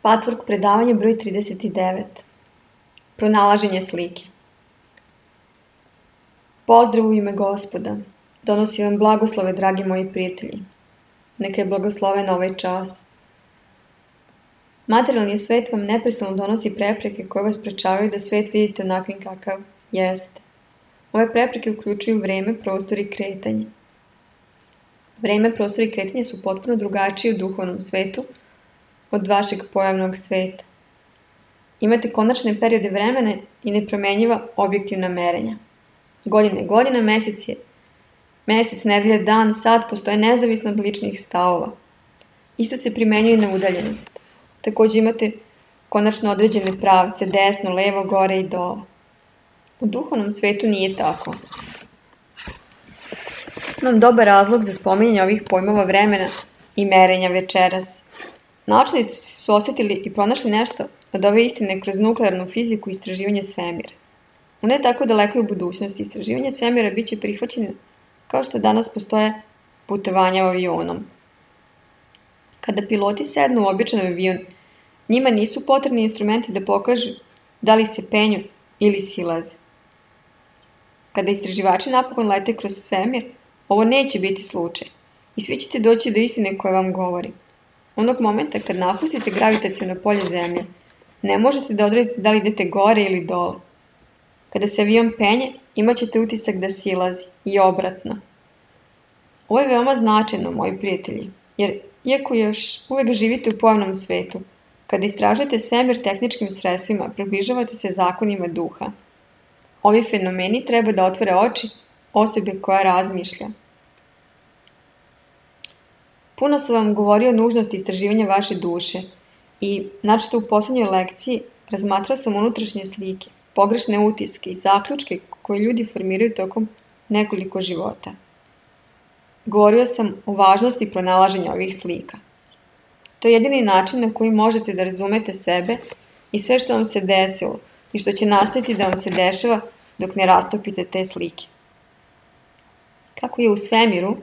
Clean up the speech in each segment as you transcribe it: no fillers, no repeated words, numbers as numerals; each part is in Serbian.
Patvork predavanje broj 39. Pronalaženje slike. Pozdrav u ime Gospoda. Donosim vam blagoslove, dragi moji prijatelji. Neka je blagosloven ovaj čas. Materijalni svet vam neprestano donosi prepreke koje vas sprečavaju da svet vidite onakvim kakav jeste. Ove prepreke uključuju vreme, prostor i kretanje. Vreme, prostor i kretanje su potpuno drugačiji u duhovnom svetu od vašeg pojavnog sveta. Imate konačne periode vremena i nepromenjiva objektivna merenja. Godina, mesec, nedelja, dan, sat postoje nezavisno od ličnih stavova. Isto se primenjuje na udaljenost. Također imate konačno određene pravce, desno, levo, gore i dole. U duhovnom svetu nije tako. Imam dobar razlog za spominjanje ovih pojmova vremena i merenja večeras. Naučnici su osjetili i pronašli nešto od ove istine kroz nuklearnu fiziku i istraživanje svemira. U ne tako dalekoj budućnosti istraživanje svemira bit će prihvaćeno kao što danas postoje putovanja avionom. Kada piloti sednu u običan avion, njima nisu potrebni instrumenti da pokažu da li se penju ili silaze. Kada istraživači napokon lete kroz svemir, ovo neće biti slučaj i svi ćete doći do istine koje vam govori. Onog momenta kad napustite gravitaciono polje Zemlje, ne možete da odredite da li idete gore ili dole. Kada se avion penje, imat ćete utisak da silazi i obratno. Ovo je veoma značajno, moji prijatelji, jer iako još uvek živite u pojavnom svetu, kada istražujete svemir tehničkim sredstvima, približavate se zakonima duha. Ovi fenomeni treba da otvore oči osobe koja razmišlja. Puno sam vam govorio o nužnosti istraživanja vaše duše i, načeto u poslednjoj lekciji, razmatrao sam unutrašnje slike, pogrešne utiske i zaključke koje ljudi formiraju tokom nekoliko života. Govorio sam o važnosti pronalaženja ovih slika. To je jedini način na koji možete da razumete sebe i sve što vam se desilo i što će nastaviti da vam se dešava dok ne rastopite te slike. Kako je u svemiru,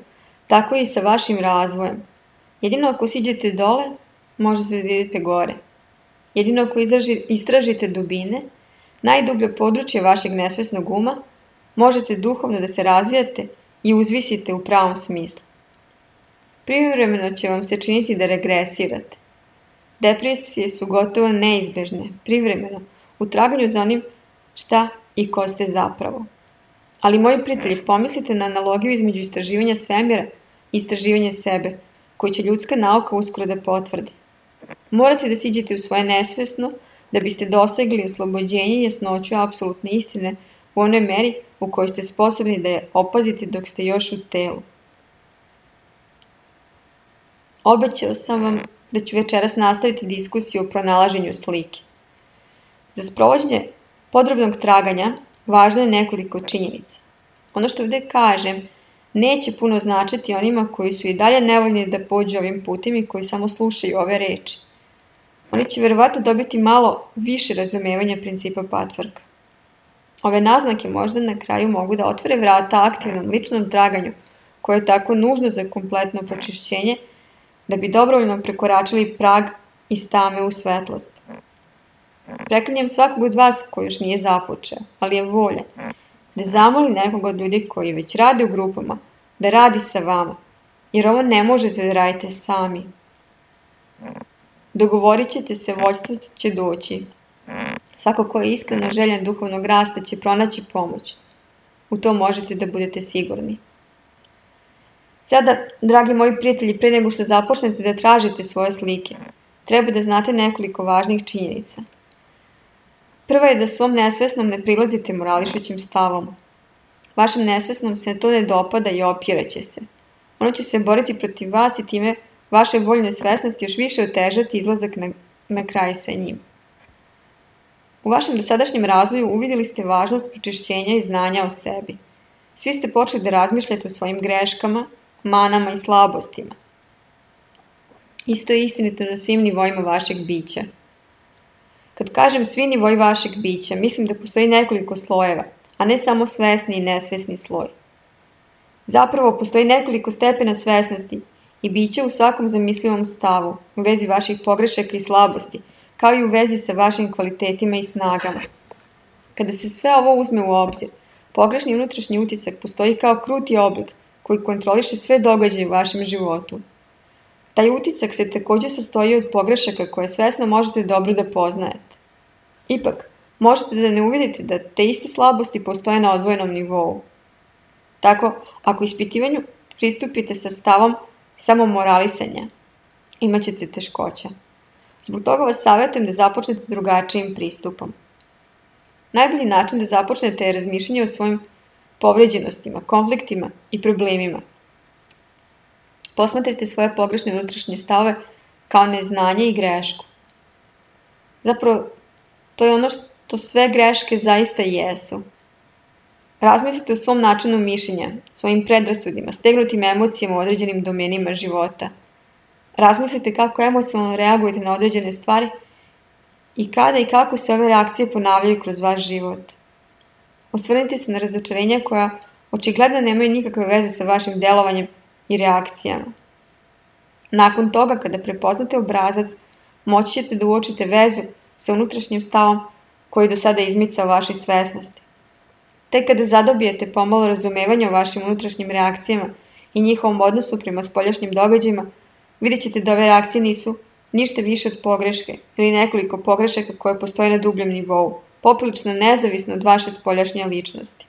tako je i sa vašim razvojem. Jedino ako siđete dole, možete da idete gore. Jedino ako istražite dubine, najdublje područje vašeg nesvesnog uma, možete duhovno da se razvijate i uzvisite u pravom smislu. Privremeno će vam se činiti da regresirate. Depresije su gotovo neizbežne, privremeno, u traganju za onim šta i ko ste zapravo. Ali, moji prijatelji, pomislite na analogiju između istraživanja svemira i istraživanja sebe, koju će ljudska nauka uskoro da potvrdi. Morate da siđete u svoje nesvesno da biste dosegli oslobođenje i jasnoću apsolutne istine u onoj meri u kojoj ste sposobni da je opazite dok ste još u telu. Obećao sam vam da ću večeras nastaviti diskusiju o pronalaženju slike. Za sprovođenje podrobnog traganja važno je nekoliko činjenica. Ono što ovdje kažem neće puno značiti onima koji su i dalje nevoljni da pođu ovim putem i koji samo slušaju ove reči. Oni će verovatno dobiti malo više razumevanja principa patvorka. Ove naznake možda na kraju mogu da otvore vrata aktivnom ličnom traganju koje je tako nužno za kompletno pročišćenje da bi dobrovoljno prekoračili prag iz tame u svetlost. Preklinjem svakog od vas koji još nije započeo, ali je volja da zamoli nekog od ljudi koji već rade u grupama, da radi sa vama, jer ovo ne možete da radite sami. Dogovorit ćete se, vođstvo će doći. Svako ko je iskreno željan duhovnog rasta će pronaći pomoć. U to možete da budete sigurni. Sada, dragi moji prijatelji, pre nego što započnete da tražite svoje slike, treba da znate nekoliko važnih činjenica. Prva je da svom nesvesnom ne prilazite morališućim stavom. Vašem nesvesnom se to ne dopada i opiraće se. Ono će se boriti protiv vas i time vaše voljne svesnosti još više otežati izlazak na kraj sa njim. U vašem dosadašnjem razvoju uvidjeli ste važnost pročišćenja i znanja o sebi. Svi ste počeli da razmišljate o svojim greškama, manama i slabostima. Isto je istinito na svim nivoima vašeg bića. Kad kažem svi nivoji vašeg bića, mislim da postoji nekoliko slojeva, a ne samo svesni i nesvesni sloj. Zapravo, postoji nekoliko stepena svesnosti i biće u svakom zamislivom stavu, u vezi vaših pogrešaka i slabosti, kao i u vezi sa vašim kvalitetima i snagama. Kada se sve ovo uzme u obzir, pogrešni unutrašnji utisak postoji kao kruti oblik koji kontroliše sve događaje u vašem životu. Taj utisak se također sastoji od pogrešaka koje svesno možete dobro da poznajete. Ipak, možete da ne uvidite da te iste slabosti postoje na odvojenom nivou. Tako, ako ispitivanju pristupite sa stavom samomoralisanja, imat ćete teškoća. Zbog toga vas savjetujem da započnete drugačijim pristupom. Najbolji način da započnete je razmišljanje o svojim povređenostima, konfliktima i problemima. Posmatrajte svoje pogrešne unutrašnje stavove kao neznanje i grešku. Zapravo, to je ono što sve greške zaista jesu. Razmislite o svom načinu mišljenja, svojim predrasudima, stegnutim emocijama u određenim domenima života. Razmislite kako emocionalno reagujete na određene stvari i kada i kako se ove reakcije ponavljaju kroz vaš život. Osvrnite se na razočarenja koja očigledno nemaju nikakve veze sa vašim delovanjem i reakcijama. Nakon toga, kada prepoznate obrazac, moći ćete da uočite vezu sa unutrašnjim stavom koji do sada izmicao vašoj svesnosti. Tek kada zadobijete pomalo razumevanja o vašim unutrašnjim reakcijama i njihovom odnosu prema spoljašnjim događajima, vidjet ćete da ove reakcije nisu ništa više od pogreške ili nekoliko pogrešaka koje postoje na dubljem nivou, poprilično nezavisno od vaše spoljašnje ličnosti.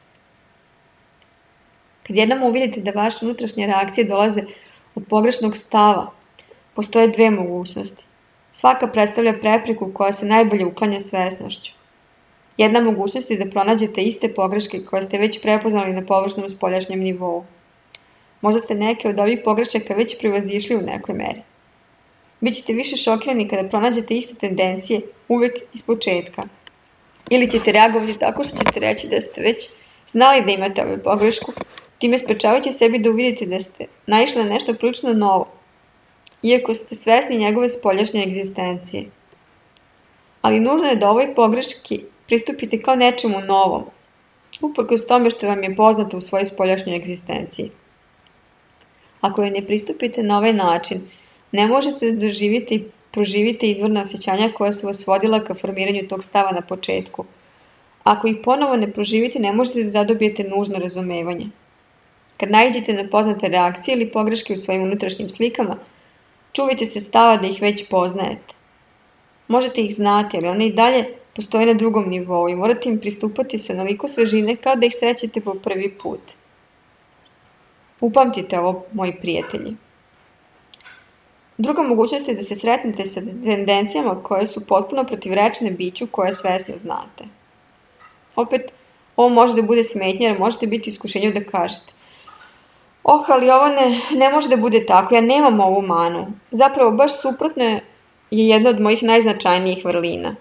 Kad jednom uvidite da vaše unutrašnje reakcije dolaze od pogrešnog stava, postoje dve mogućnosti. Svaka predstavlja prepreku koja se najbolje uklanja svesnošću. Jedna mogućnost je da pronađete iste pogreške koje ste već prepoznali na površnom spoljašnjem nivou. Možda ste neke od ovih pogrešaka već prevazišli u nekoj meri. Bićete više šokirani kada pronađete iste tendencije uvek iz početka. Ili ćete reagovati tako što ćete reći da ste već znali da imate ovu pogrešku, time sprečavajući sebi da uvidite da ste naišli na nešto prilično novo, iako ste svesni njegove spoljašnje egzistencije. Ali nužno je da ovoj pogreški pristupite kao nečemu novom, uprkos tome što vam je poznato u svojoj spoljašnjoj egzistenciji. Ako joj ne pristupite na ovaj način, ne možete da doživite i proživite izvorna osjećanja koja su vas vodila ka formiranju tog stava na početku. Ako ih ponovo ne proživite, ne možete da zadobijete nužno razumevanje. Kad naiđete na poznate reakcije ili pogreške u svojim unutrašnjim slikama, čuvajte se stava da ih već poznajete. Možete ih znati, ali one i dalje postoje na drugom nivou i morate im pristupati sa onoliko svežine kao da ih srećete po prvi put. Upamtite ovo, moji prijatelji. Druga mogućnost je da se sretnete sa tendencijama koje su potpuno protivrečne biću koje svesno znate. Opet, ovo može da bude smetnja jer možete biti u iskušenju da kažete: ali ovo ne može da bude tako, ja nemam ovu manu. Zapravo, baš suprotno je jedna od mojih najznačajnijih vrlina.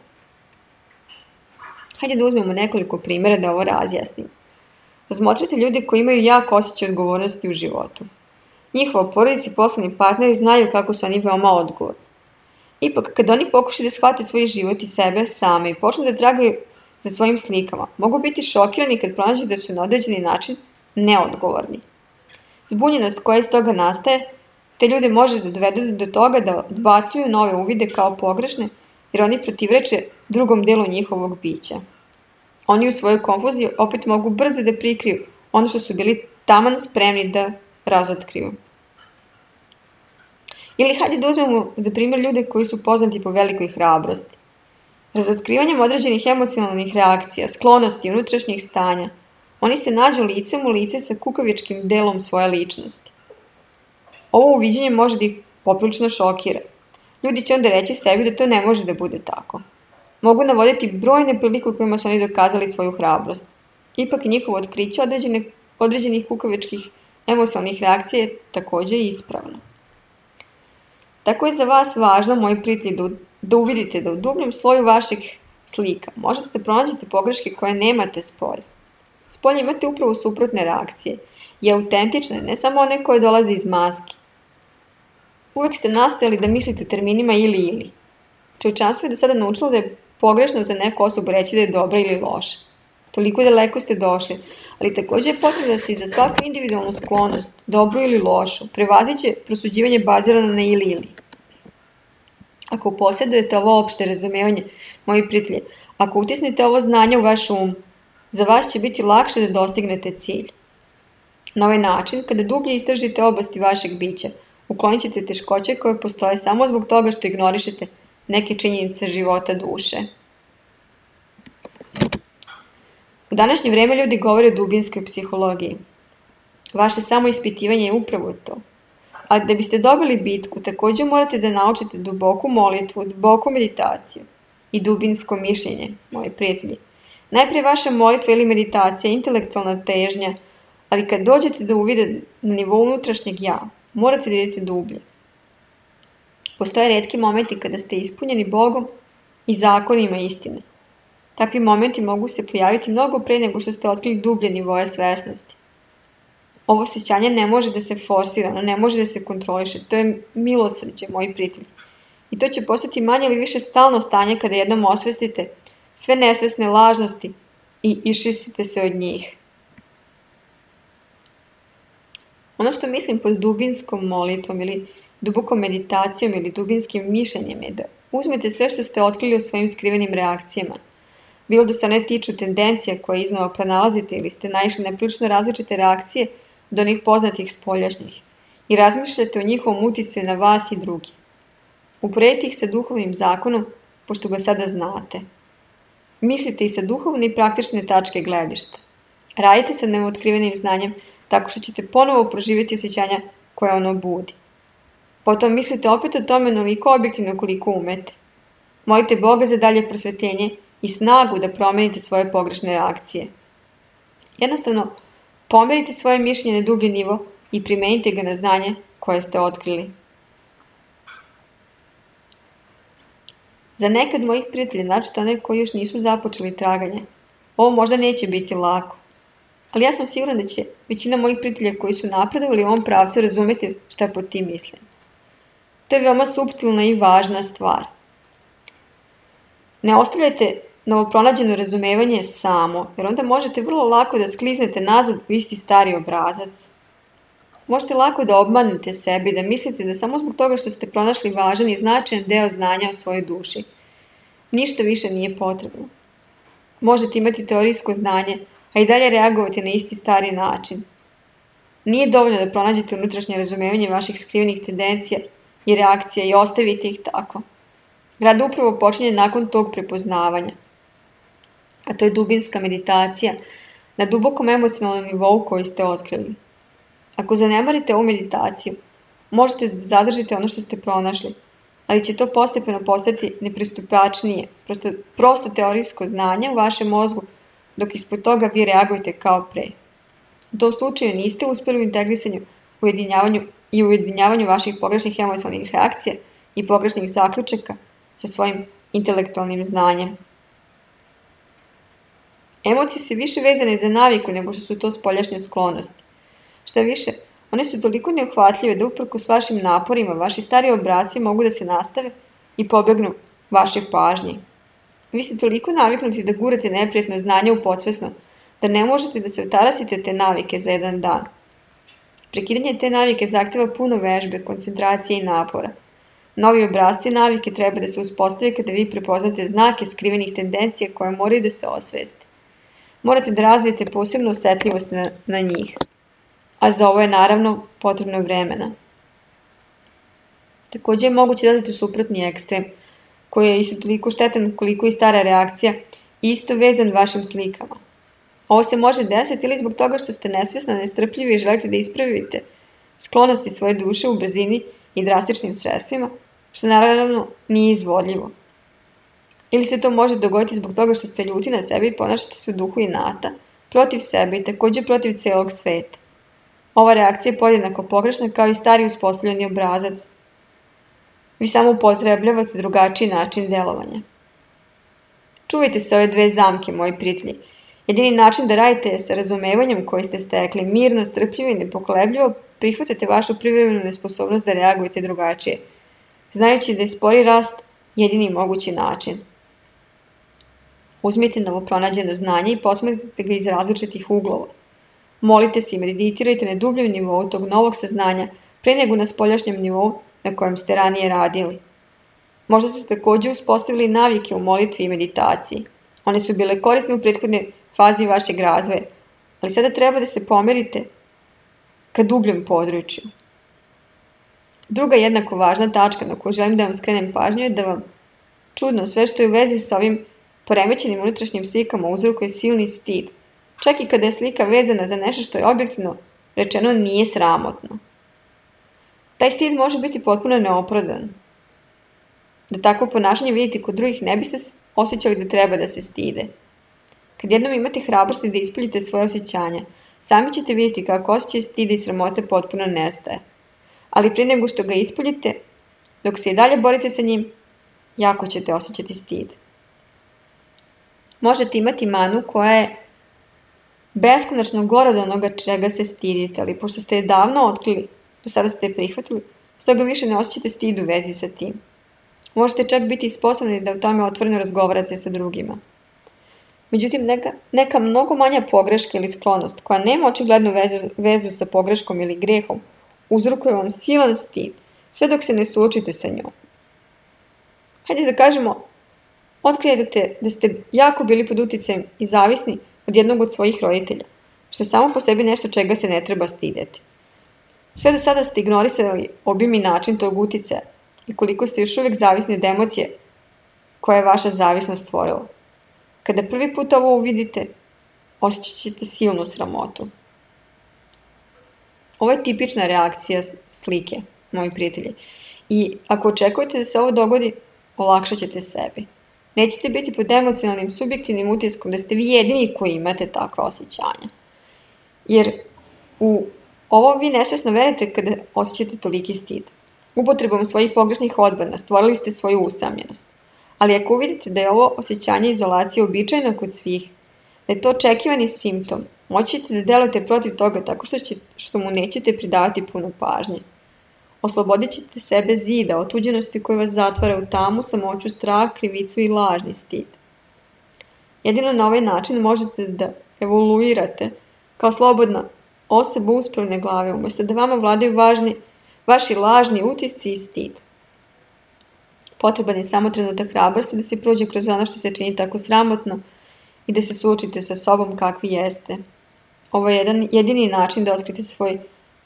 Hajde da uzmemo nekoliko primjera da ovo razjasnim. Razmotrite ljude koji imaju jak osjećaj odgovornosti u životu. Njihova porodica i poslovni partneri znaju kako su oni veoma odgovorni. Ipak, kad oni pokušaju da shvate svoj život i sebe same i počnu da tragaju za svojim slikama, mogu biti šokirani kad pronađu da su na određeni način neodgovorni. Zbunjenost koja iz toga nastaje, te ljude može da dovede do toga da odbacuju nove uvide kao pogrešne, jer oni protivreče drugom delu njihovog bića. Oni u svojoj konfuziji opet mogu brzo da prikriju ono što su bili taman spremni da razotkriju. Ili hajde da uzmemo za primjer ljude koji su poznati po velikoj hrabrosti. Razotkrivanjem određenih emocionalnih reakcija, sklonosti i unutrašnjih stanja, oni se nađu licem u lice sa kukavičkim delom svoje ličnosti. Ovo uviđenje može da ih poprilično šokira. Ljudi će onda reći sebi da to ne može da bude tako. Mogu navoditi brojne prilike u kojima su oni dokazali svoju hrabrost. Ipak i njihovo otkriće određenih kukavičkih emocionalnih reakcija je također ispravno. Tako je za vas važno, moji prijatelji, da uvidite da u dubljem sloju vaših slika možete da pronađete pogreške koje nemate spolja. Spolja imate upravo suprotne reakcije i autentične, ne samo one koje dolaze iz maski. Uvek ste nastojali da mislite u terminima ili. Čovječanstvo je do sada naučilo da je pogrešno za neku osobu reći da je dobra ili loša. toliko daleko ste došli, ali također je potrebno da se i za svaku individualnu sklonost, dobru ili lošu, prevaziće prosuđivanje bazirano na ili. Ako posjedujete ovo opšte razumevanje, moji prijatelji, ako utisnete ovo znanje u vaš za vas će biti lakše da dostignete cilj. Na ovaj način, kada dublje istražite oblasti vašeg bića, uklonit ćete teškoće koje postoje samo zbog toga što ignorišete neke činjenice života duše. U današnje vrijeme ljudi govore o dubinskoj psihologiji. Vaše samoispitivanje je upravo to. Ali da biste dobili bitku, također morate da naučite duboku molitvu, duboku meditaciju i dubinsko mišljenje, moji prijatelji. Najprije vaša molitva ili meditacija, intelektualna težnja, ali kad dođete do uvida na nivou unutrašnjeg ja, morate da idete dublje. Postoje retki momenti kada ste ispunjeni Bogom i zakonima istine. Takvi momenti mogu se pojaviti mnogo pre nego što ste otkrili dublje nivoje svesnosti. Ovo osjećanje ne može da se forsira, ne može da se kontroliše. To je milosrđe, moji prijatelji. I to će postati manje ili više stalno stanje kada jednom osvestite sve nesvesne lažnosti i iščistite se od njih. Ono što mislim pod dubinskom molitvom ili dubokom meditacijom ili dubinskim mišljenjem je da uzmete sve što ste otkrili u svojim skrivenim reakcijama. Bilo da se one tiču tendencija koje iznova pronalazite ili ste naišli na prilično različite reakcije do onih poznatih spoljašnjih i razmišljate o njihovom uticaju na vas i drugi. Uporedite ih sa duhovnim zakonom, pošto ga sada znate. Mislite i sa duhovne i praktične tačke gledišta. Radite sa neotkrivenim znanjem tako što ćete ponovo proživjeti osjećanja koje ono budi. Potom mislite opet o tome onoliko objektivno koliko umete. Molite Boga za dalje prosvetljenje i snagu da promenite svoje pogrešne reakcije. Jednostavno, pomerite svoje mišljenje na dublji nivo i primenite ga na znanje koje ste otkrili. Za neke od mojih prijatelja, naročito one koji još nisu započeli traganje, ovo možda neće biti lako. Ali ja sam sigurna da će većina mojih prijatelja koji su napredovali u ovom pravcu razumjeti šta pod tim mislim. To je veoma suptilna i važna stvar. Ne ostavljajte novopronađeno razumevanje samo, jer onda možete vrlo lako da skliznete nazad u isti stari obrazac. Možete lako da obmanete sebe i da mislite da samo zbog toga što ste pronašli važan i značajan deo znanja o svojoj duši, ništa više nije potrebno. Možete imati teorijsko znanje, a i dalje reagovati na isti stari način. Nije dovoljno da pronađete unutrašnje razumevanje vaših skrivenih tendencija i reakcija i ostavite ih tako. Rad upravo počinje nakon tog prepoznavanja. A to je dubinska meditacija na dubokom emocionalnom nivou koji ste otkrili. Ako zanemarite ovu meditaciju, možete da zadržite ono što ste pronašli, ali će to postepeno postati nepristupačnije, prosto teorijsko znanje u vašem mozgu, dok ispod toga vi reagujete kao pre. U tom slučaju niste uspjeli u integrisanju, ujedinjavanju vaših pogrešnih emocionalnih reakcija i pogrešnih zaključaka sa svojim intelektualnim znanjem. Emocije su više vezane za naviku nego što su to spoljašnje sklonosti. Šta više, one su toliko neuhvatljive da uprkos vašim naporima, vaši stari obrasci mogu da se nastave i pobegnu vašoj pažnji. Vi ste toliko naviknuti da gurate neprijatno znanje u podsvesno, da ne možete da se otarasite te navike za jedan dan. Prekidanje te navike zahteva puno vežbe, koncentracije i napora. Novi obrasci navike treba da se uspostave kada vi prepoznate znake skrivenih tendencija koje moraju da se osveste. Morate da razvijete posebnu osjetljivost na njih. A za ovo je naravno potrebno vremena. Također je moguće da odete u suprotni ekstrem, koji je isto toliko štetan koliko i stara reakcija, isto vezan vašim slikama. Ovo se može desiti ili zbog toga što ste nesvjesno nestrpljivi i želite da ispravite sklonosti svoje duše u brzini i drastičnim sredstvima, što naravno nije izvodljivo. Ili se to može dogoditi zbog toga što ste ljuti na sebe i ponašate se u duhu inata, protiv sebe i također protiv celog sveta. Ova reakcija je podjednako pogrešna kao i stari uspostavljeni obrazac. Vi samo upotrebljavate drugačiji način delovanja. Čuvajte se ove dve zamke, moji prijatelji. Jedini način da radite je sa razumevanjem koji ste stekli, mirno, strpljivo i nepokolebljivo prihvatate vašu privremenu nesposobnost da reagujete drugačije, znajući da je spori rast jedini mogući način. Uzmite novo pronađeno znanje i posmatrajte ga iz različitih uglova. Molite se i meditirajte na dubljem nivou tog novog saznanja pre nego na spoljašnjem nivou na kojem ste ranije radili. Možda ste također uspostavili navike u molitvi i meditaciji. One su bile korisne u prethodnoj fazi vašeg razvoja, ali sada treba da se pomerite ka dubljem području. Druga jednako važna tačka na koju želim da vam skrenem pažnju je da vam čudno sve što je u vezi sa ovim poremećenim unutrašnjim slikama uzrokuje silni stid, čak i kada je slika vezana za nešto što je objektivno rečeno nije sramotno. Taj stid može biti potpuno neopravdan. Da takvo ponašanje vidite kod drugih ne biste osjećali da treba da se stide. Kad jednom imate hrabrosti da ispoljite svoje osjećanja, sami ćete vidjeti kako osjećaj stida i sramote potpuno nestaje. Ali prije nego što ga ispoljite, dok se i dalje borite sa njim, jako ćete osjećati stid. Možete imati manu koja je beskonačno gora od onoga čega se stidite, ali pošto ste je davno otkrili, do sada ste je prihvatili, stoga više ne osjećate stid u vezi sa tim. Možete čak biti sposobni da o tome otvoreno razgovarate sa drugima. Međutim, neka mnogo manja pogreška ili sklonost, koja nema očiglednu vezu sa pogreškom ili grehom, uzrokuje vam silan stid, sve dok se ne suočite sa njom. Hajde da kažemo, otkrijete da ste jako bili pod uticajem i zavisni od jednog od svojih roditelja, što je samo po sebi nešto čega se ne treba stideti. Sve do sada ste ignorisali obim i način tog uticaja i koliko ste još uvijek zavisni od emocije koja je vaša zavisnost stvorila. Kada prvi put ovo uvidite, osjećat ćete silnu sramotu. Ovo je tipična reakcija slike, moji prijatelji. I ako očekujete da se ovo dogodi, olakšat ćete sebi. Nećete biti pod emocionalnim, subjektivnim utiskom da ste vi jedini koji imate takva osjećanja. Jer u ovo vi nesvjesno verujete kada osjećate toliki stid. Upotrebom svojih pogrešnih odbrana stvorili ste svoju usamljenost. Ali ako uvidite da je ovo osjećanje izolacije uobičajeno kod svih, da je to očekivani simptom, moći ćete da delujete protiv toga tako što mu nećete pridavati puno pažnje. Oslobodit ćete sebe zida, otuđenosti koji vas zatvara u tamu, samoću, strah, krivicu i lažni stid. Jedino na ovaj način možete da evoluirate kao slobodna osoba uspravne glave, umjesto da vama vladaju vaši lažni utisci i stid. Potreban je samo trenutak hrabrosti da se prođe kroz ono što se čini tako sramotno i da se suočite sa sobom kakvi jeste. Ovo je jedini način da otkrite svoj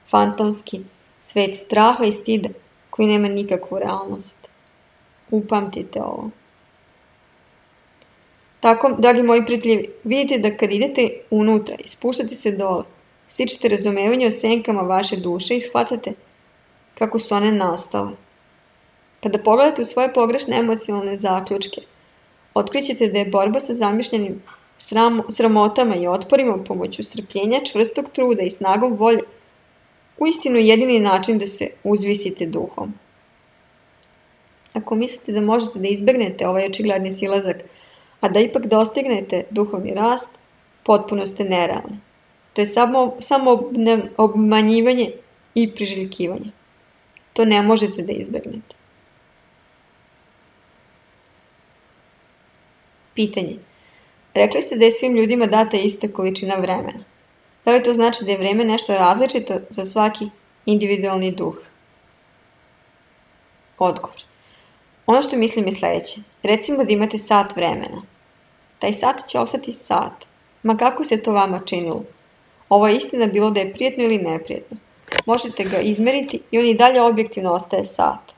fantomski svet straha i stida koji nema nikakvu realnost. Upamtite ovo. Tako, dragi moji prijatelji, vidite da kad idete unutra i spuštate se dole, stičete razumevanje o senkama vaše duše i shvatate kako su one nastale. Kada pogledate u svoje pogrešne emocionalne zaključke, otkrićete da je borba sa zamišljenim sramotama i otporima pomoću strpljenja, čvrstog truda i snagom volje uistinu jedini način da se uzvisite duhom. Ako mislite da možete da izbegnete ovaj očigledni silazak, a da ipak dostignete duhovni rast, potpuno ste nerealni. To je samo obmanjivanje i priželjkivanje. To ne možete da izbegnete. Pitanje. Rekli ste da je svim ljudima data ista količina vremena. Da li to znači da je vreme nešto različito za svaki individualni duh? Odgovor. Ono što mislim je sljedeće. Recimo da imate sat vremena. Taj sat će ostati sat. Ma kako se to vama činilo? Ovo je istina bilo da je prijetno ili neprijetno. Možete ga izmeriti i on i dalje objektivno ostaje sat.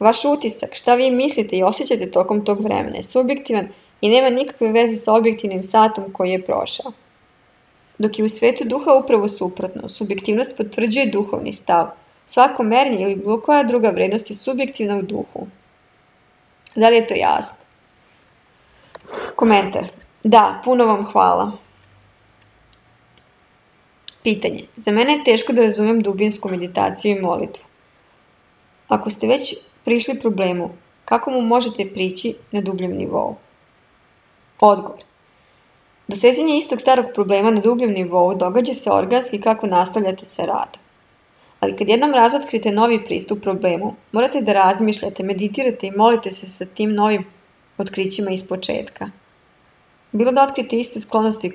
Vaš utisak, šta vi mislite i osjećate tokom tog vremena je subjektivan i nema nikakve veze sa objektivnim satom koji je prošao. Dok je u svetu duha upravo suprotno, subjektivnost potvrđuje duhovni stav. Svako merenje ili bilo koja druga vrednost je subjektivna u duhu. Da li je to jasno? Komentar. Da, puno vam hvala. Pitanje. Za mene je teško da razumem dubinsku meditaciju i molitvu. Ako ste već prišli problemu, kako mu možete prići na dubljem nivou? Odgovor. Dosezanje istog starog problema na dubljem nivou događa se organski kako nastavljate sa radom. Ali kad jednom razotkrite novi pristup problemu, morate da razmišljate, meditirate i molite se sa tim novim otkrićima iz početka. Bilo da otkrijete iste sklonosti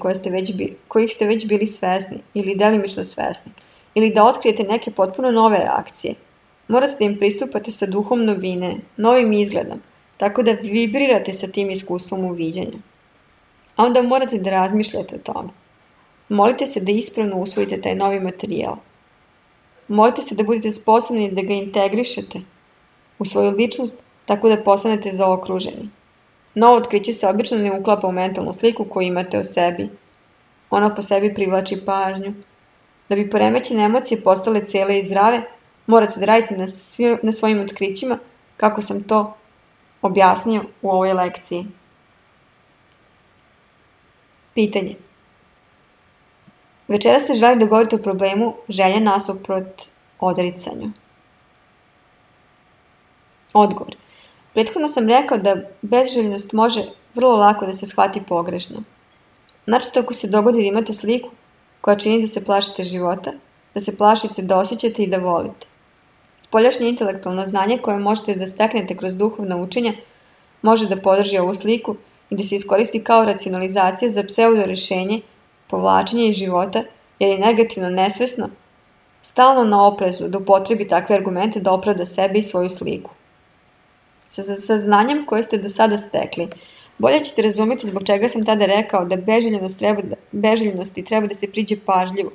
kojih ste već bili svesni ili delimično svesni, ili da otkrijete neke potpuno nove reakcije. Morate da im pristupate sa duhom novine, novim izgledom, tako da vibrirate sa tim iskustvom uviđanja. A onda morate da razmišljate o tome. Molite se da ispravno usvojite taj novi materijal. Molite se da budete sposobni da ga integrišete u svoju ličnost tako da postanete zaokruženi. Novo otkriće se obično ne uklapa u mentalnu sliku koju imate o sebi. Ono po sebi privlači pažnju. Da bi poremećene emocije postale cele i zdrave, morate da radite na svojim otkrićima kako sam to objasnio u ovoj lekciji. Pitanje. Večeras ste želi da govorite o problemu želje nasuprot odricanju. Odgovor. Prethodno sam rekao da bezželjnost može vrlo lako da se shvati pogrešno. Znači ako se dogodi da imate sliku koja čini da se plašite života, da se plašite da osjećate i da volite. Spoljašnje intelektualno znanje koje možete da steknete kroz duhovna učenja može da podrži ovu sliku i da se iskoristi kao racionalizacija za pseudo rešenje, povlačenje iz života, jer je negativno nesvesno, stalno na oprezu da upotrebi takve argumente da opravda sebe i svoju sliku. Sa znanjem koje ste do sada stekli, bolje ćete razumjeti zbog čega sam tada rekao da beželjenosti treba da se priđe pažljivo,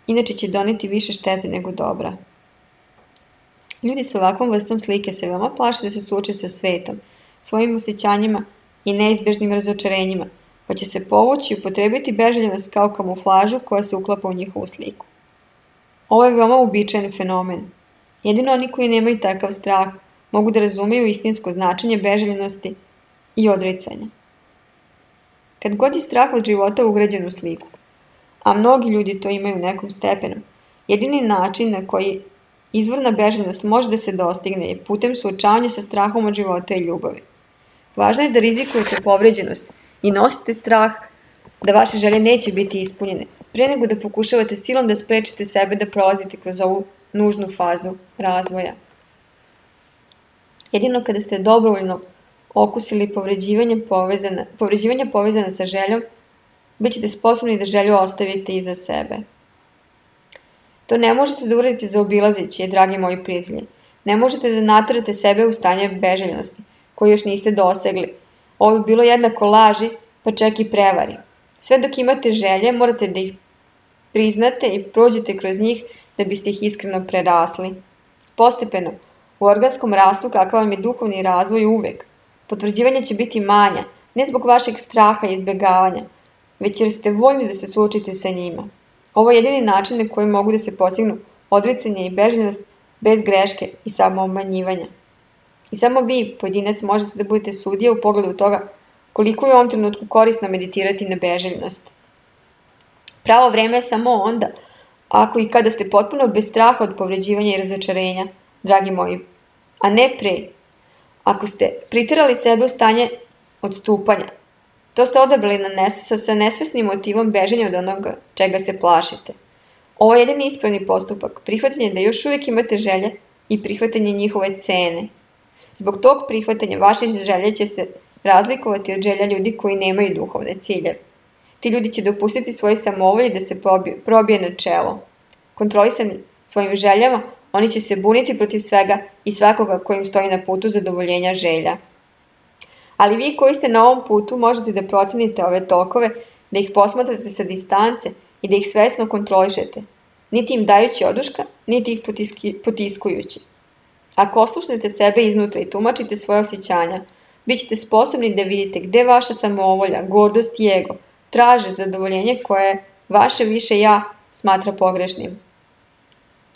inače će doneti više štete nego dobra. Ljudi sa ovakvom vrstom slike se veoma plaše da se suoče sa svetom, svojim osjećanjima i neizbežnim razočarenjima, pa će se povući i upotrebiti beželjenost kao kamuflažu koja se uklapa u njihovu sliku. Ovo je veoma uobičajen fenomen. Jedino oni koji nemaju takav strah mogu da razumeju istinsko značenje beželjenosti i odricanja. Kad god je strah od života ugrađen u sliku, a mnogi ljudi to imaju u nekom stepenu, jedini način na koji izvorna beželjenost može da se dostigne je putem suočavanja sa strahom od života i ljubavi. Važno je da rizikujete povređenost i nosite strah da vaše želje neće biti ispunjene, pre nego da pokušavate silom da sprečite sebe da prolazite kroz ovu nužnu fazu razvoja. Jedino kada ste dobrovoljno okusili povređivanja povezana sa željom, bit ćete sposobni da želju ostavite iza sebe. To ne možete da uradite zaobilazeći, dragi moji prijatelji. Ne možete da naterate sebe u stanje beželjenosti, koje još niste dosegli. Ovo bi bilo jednako laži, pa čak i prevari. Sve dok imate želje, morate da ih priznate i prođete kroz njih da biste ih iskreno prerasli. Postepeno, u organskom rastu kakav vam je duhovni razvoj uvek, potvrđivanje će biti manja, ne zbog vašeg straha i izbjegavanja, već jer ste voljni da se suočite sa njima. Ovo je jedini način na koji mogu da se postignu odricanje i beželjenost bez greške i samoobmanjivanja. I samo vi, pojedinac, možete da budete sudija u pogledu toga koliko je u ovom trenutku korisno meditirati na beželjenost. Pravo vreme je samo onda, ako i kada ste potpuno bez straha od povređivanja i razočarenja, dragi moji, a ne pre. Ako ste priterali sebe u stanje odstupanja, to ste odabrali sa nesvesnim motivom bežanja od onoga čega se plašite. Ovo je jedini ispravni postupak, prihvatanje da još uvijek imate želje i prihvatanje njihove cene. Zbog tog prihvatanja vaše želje će se razlikovati od želja ljudi koji nemaju duhovne ciljeve. Ti ljudi će dopustiti svoje samovolje da se probije na čelo. Kontrolisani svojim željama, oni će se buniti protiv svega i svakoga kojim stoji na putu zadovoljenja želja. Ali vi koji ste na ovom putu možete da procenite ove tokove, da ih posmatrate sa distance i da ih svesno kontrolišete, niti im dajući oduška, niti ih potiskujući. Ako oslušnete sebe iznutra i tumačite svoje osjećanja, bit ćete sposobni da vidite gde vaša samoovolja, gordost i ego traže zadovoljenje koje vaše više ja smatra pogrešnim.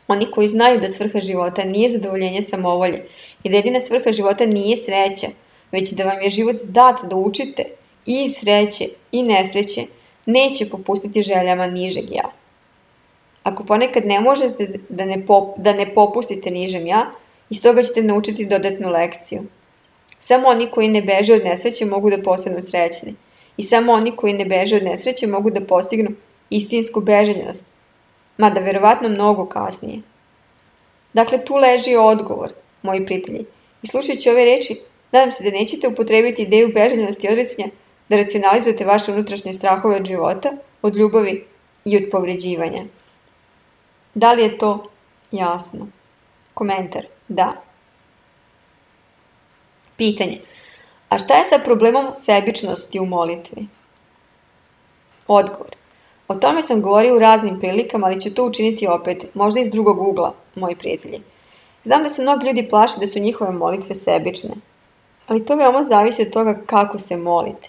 Oni koji znaju da svrha života nije zadovoljenje samoovolje i da jedina svrha života nije sreća, već da vam je život dat da učite i iz sreće i nesreće, neće popustiti željama nižeg ja. Ako ponekad ne možete da ne popustite nižem ja, iz toga ćete naučiti dodatnu lekciju. Samo oni koji ne beže od nesreće mogu da postanu srećni. I samo oni koji ne beže od nesreće mogu da postignu istinsku beželjnost, mada verovatno mnogo kasnije. Dakle, tu leži odgovor, moji prijatelji. I slušajući ove reči, nadam se da nećete upotrebiti ideju beželjnosti i odricanja da racionalizujete vaše unutrašnje strahove od života, od ljubavi i od povređivanja. Da li je to jasno? Komentar: da. Pitanje: a šta je sa problemom sebičnosti u molitvi? Odgovor: o tome sam govorio u raznim prilikama, ali ću to učiniti opet, možda iz drugog ugla, moji prijatelji. Znam da se mnogi ljudi plaše da su njihove molitve sebične, ali to veoma zavisi od toga kako se molite.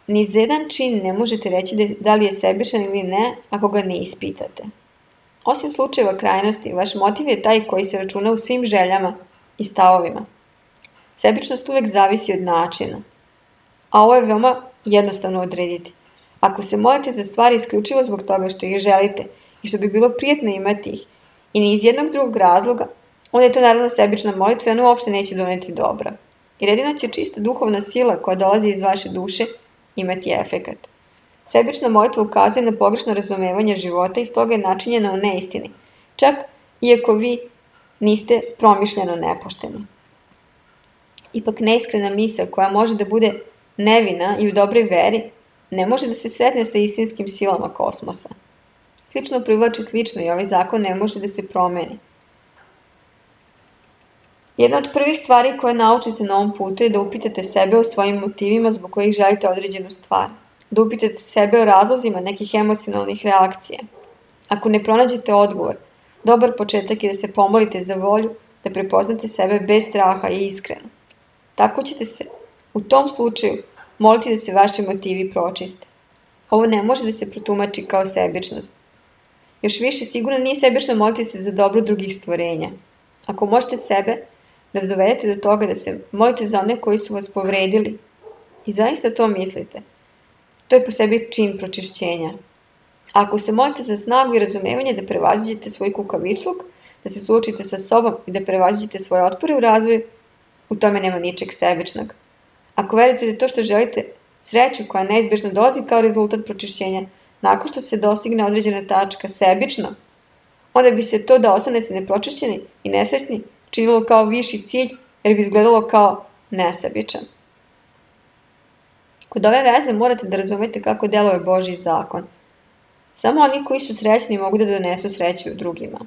Ni za jedan čin ne možete reći da li je sebičan ili ne ako ga ne ispitate. Osim slučajeva krajnosti, vaš motiv je taj koji se računa u svim željama i stavovima. Sebičnost uvek zavisi od načina, a ovo je veoma jednostavno odrediti. Ako se molite za stvari isključivo zbog toga što ih želite i što bi bilo prijetno imati ih i ni iz jednog drugog razloga, onda je to naravno sebična molitva i ona uopšte neće doneti dobra. Jer jedino će čista duhovna sila koja dolazi iz vaše duše imati efekat. Sebična molitva ukazuje na pogrešno razumevanje života i stoga je načinjena u neistini, čak iako vi niste promišljeno nepošteni. Ipak neiskrena misao koja može da bude nevina i u dobroj veri ne može da se sretne sa istinskim silama kosmosa. Slično privlači slično i ovaj zakon ne može da se promeni. Jedna od prvih stvari koje naučite na ovom putu je da upitate sebe o svojim motivima zbog kojih želite određenu stvar. Da upitate sebe o razlozima nekih emocionalnih reakcija. Ako ne pronađete odgovor, dobar početak je da se pomolite za volju, da prepoznate sebe bez straha i iskreno. Tako ćete se, u tom slučaju, moliti da se vaši motivi pročiste. Ovo ne može da se protumači kao sebičnost. Još više, sigurno nije sebično moliti se za dobro drugih stvorenja. Ako možete sebe da dovedete do toga da se molite za one koji su vas povredili i zaista to mislite, to je po sebi čin pročišćenja. A ako se molite za snagu i razumevanje da prevaziđete svoj kukavičluk, da se suočite sa sobom i da prevaziđete svoje otpore u razvoju, u tome nema ničeg sebičnog. Ako verujete da to što želite, sreću koja neizbježno dolazi kao rezultat pročišćenja, nakon što se dostigne određena tačka sebično, onda bi se to da ostanete nepročišćeni i nesrećni činilo kao viši cilj, jer bi izgledalo kao nesebičan. Kod ove veze morate da razumete kako deluje Božji zakon. Samo oni koji su srećni mogu da donesu sreću drugima.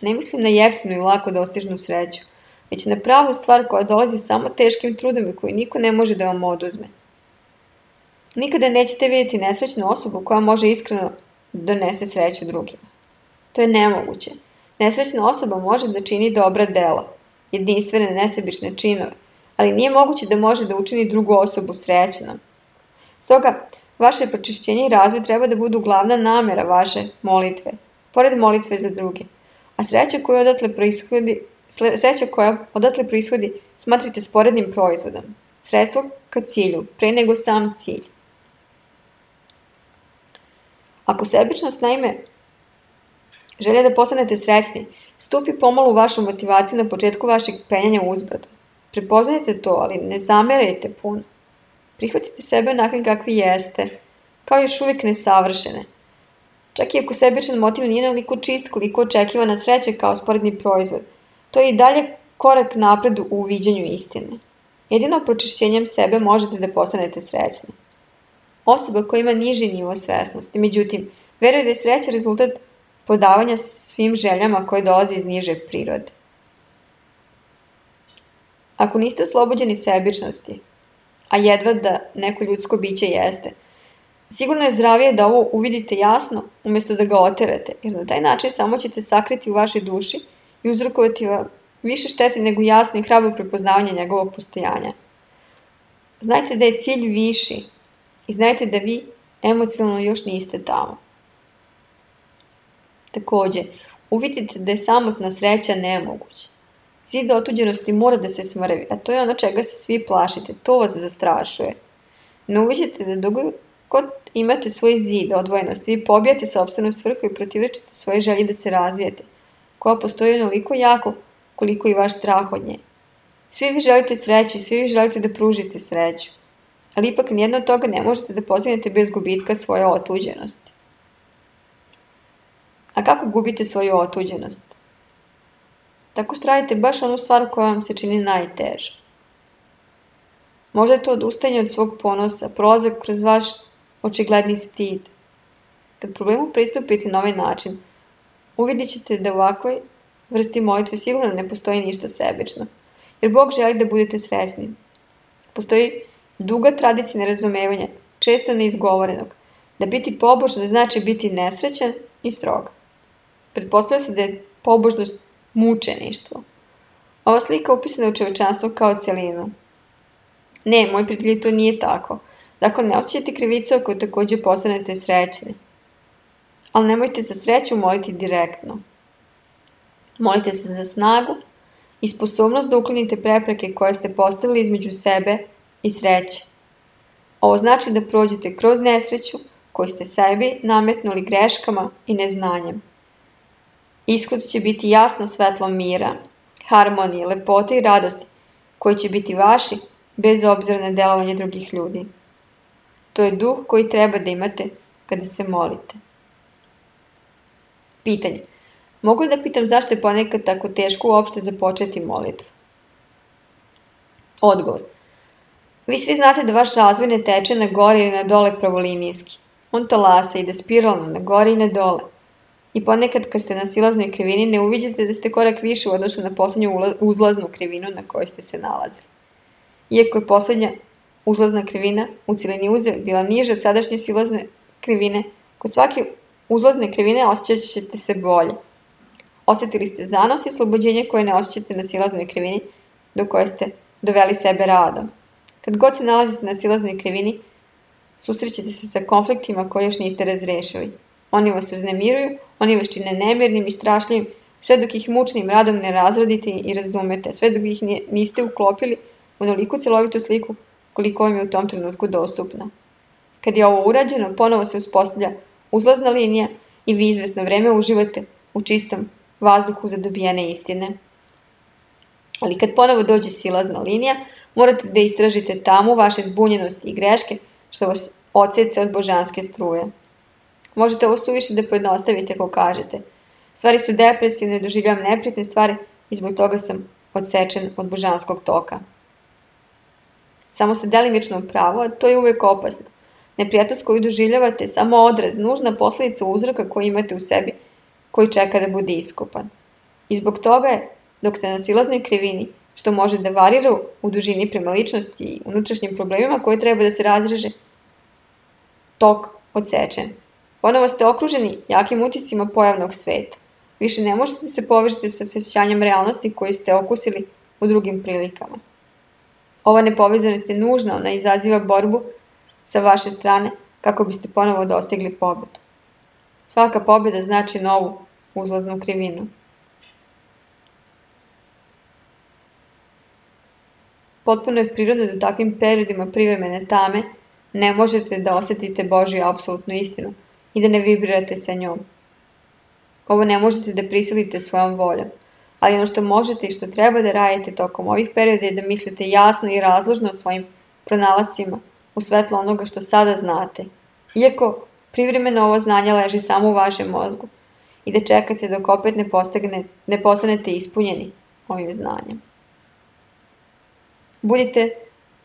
Ne mislim na jeftinu i lako dostižnu sreću, već na pravu stvar koja dolazi samo teškim trudom i koju niko ne može da vam oduzme. Nikada nećete vidjeti nesrećnu osobu koja može iskreno donese sreću drugima. To je nemoguće. Nesrećna osoba može da čini dobra dela, jedinstvene nesebične činove, ali nije moguće da može da učini drugu osobu srećnom. Stoga, vaše pročišćenje i razvoj treba da budu glavna namera vaše molitve, pored molitve za druge. A sreća koja odatle proishodi smatrite sporednim proizvodom, sredstvo ka cilju, pre nego sam cilj. Ako sebičnost, naime, želja da postanete srećni, stupi pomalo u vašu motivaciju na početku vašeg penjanja uzbrdo. Prepoznajte to, ali ne zamerajte puno. Prihvatite sebe onakvim kakvi jeste, kao još uvijek nesavršene. Čak i ako sebičan motiv nije onoliko čist koliko očekivana sreća kao sporedni proizvod, to je i dalje korak napred u uviđanju istine. Jedino pročišćenjem sebe možete da postanete srećni. Osoba koja ima niži nivo svesnosti, međutim, veruje da je sreća rezultat podavanja svim željama koje dolaze iz niže prirode. Ako niste oslobođeni sebičnosti, a jedva da neko ljudsko biće jeste, sigurno je zdravije da ovo uvidite jasno umjesto da ga oterate, jer na taj način samo ćete sakriti u vašoj duši i uzrokovati vam više štete nego jasno i hrabro prepoznavanje njegovog postojanja. Znajte da je cilj viši i znajte da vi emocionalno još niste tamo. Također, uvidite da je samotna sreća nemoguća. Zid otuđenosti mora da se smrvi, a to je ono čega se svi plašite, to vas zastrašuje. Ne uviđate da dok god imate svoj zid odvojenosti, vi pobijate sopstvenu svrhu i protivrečite svoje želje da se razvijete, koja postoji onoliko jako koliko i vaš strah od nje. Svi vi želite sreću i svi vi želite da pružite sreću, ali ipak nijedno od toga ne možete da postignete bez gubitka svoje otuđenosti. A kako gubite svoju otuđenost? Tako što radite baš onu stvar koja vam se čini najteža. Možda je to odustajanje od svog ponosa, prolazak kroz vaš očigledni stid. Kad problemu pristupite na ovaj način, uvidjet ćete da u ovakvoj vrsti molitve sigurno ne postoji ništa sebično, jer Bog želi da budete srećni. Postoji duga tradicija nerazumevanja, često neizgovorenog, da biti pobožan znači biti nesrećan i strog. Pretpostavlja se da je pobožnost mučeništvo. Ova slika upisana u čovečanstvo kao celinu. Ne, moj prijatelji, to nije tako. Dakle, ne osjećajte krivicu ako također postanete srećni. Ali nemojte za sreću moliti direktno. Molite se za snagu i sposobnost da uklonite prepreke koje ste postavili između sebe i sreće. Ovo znači da prođete kroz nesreću koju ste sebi nametnuli greškama i neznanjem. Ishod će biti jasno svetlo mira, harmonije, lepote i radosti koji će biti vaši bez obzira na delovanje drugih ljudi. To je duh koji treba da imate kada se molite. Pitanje. Mogu li da pitam zašto je ponekad tako teško uopšte započeti molitvu? Odgovor. Vi svi znate da vaš razvoj ne teče na gore ili na dole pravolinijski. On talasa ide spiralno na gore i na dole. I ponekad kad ste na silaznoj krivini ne uviđate da ste korak više u odnosu na poslednju uzlaznu krivinu na kojoj ste se nalazili. Iako je poslednja uzlazna krivina u celini uze bila niža od sadašnje silazne krivine, kod svake uzlazne krivine osjećat ćete se bolje. Osjetili ste zanos i oslobođenje koje ne osjećate na silaznoj krivini do koje ste doveli sebe radom. Kad god se nalazite na silaznoj krivini, susrećete se sa konfliktima koje još niste razrešili. Oni vas uznemiruju, oni vas čine nemirnim i strašljivim, sve dok ih mučnim radom ne razradite i razumete, sve dok ih niste uklopili u onoliku celovitu sliku koliko vam je u tom trenutku dostupna. Kad je ovo urađeno, ponovo se uspostavlja uzlazna linija i vi izvesno vreme uživate u čistom vazduhu za dobijene istine. Ali kad ponovo dođe silazna linija, morate da istražite tamu vaše zbunjenosti i greške što vas odseca od božanske struje. Možete ovo suviše da pojednostavite ako kažete. Stvari su depresivne, doživljavam neprijatne stvari i zbog toga sam odsečen od božanskog toka. Samo ste delimično u pravu, a to je uvek opasno. Neprijatnost koju doživljavate je samo odraz, nužna posledica uzroka koji imate u sebi, koji čeka da bude iskopan. I zbog toga je, dok ste na silaznoj krivini, što može da varira u dužini prema ličnosti i unutrašnjim problemima koje treba da se razreže, tok odsečen. Ponovo ste okruženi jakim utiscima pojavnog sveta. Više ne možete da se povežete sa osjećanjem realnosti koju ste okusili u drugim prilikama. Ova nepovezanost je nužna, ona izaziva borbu sa vaše strane kako biste ponovo dostigli pobedu. Svaka pobjeda znači novu uzlaznu krivinu. Potpuno je prirodno da u takvim periodima privremene tame ne možete da osjetite Božju apsolutnu istinu i da ne vibrirate sa njom. Ovo ne možete da prisilite svojom voljom, ali ono što možete i što treba da radite tokom ovih perioda je da mislite jasno i razložno o svojim pronalascima u svetlo onoga što sada znate, iako privremeno ovo znanje leži samo u vašem mozgu i da čekate dok opet ne postanete ispunjeni ovim znanjem. Budite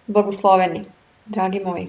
blagosloveni, dragi moji.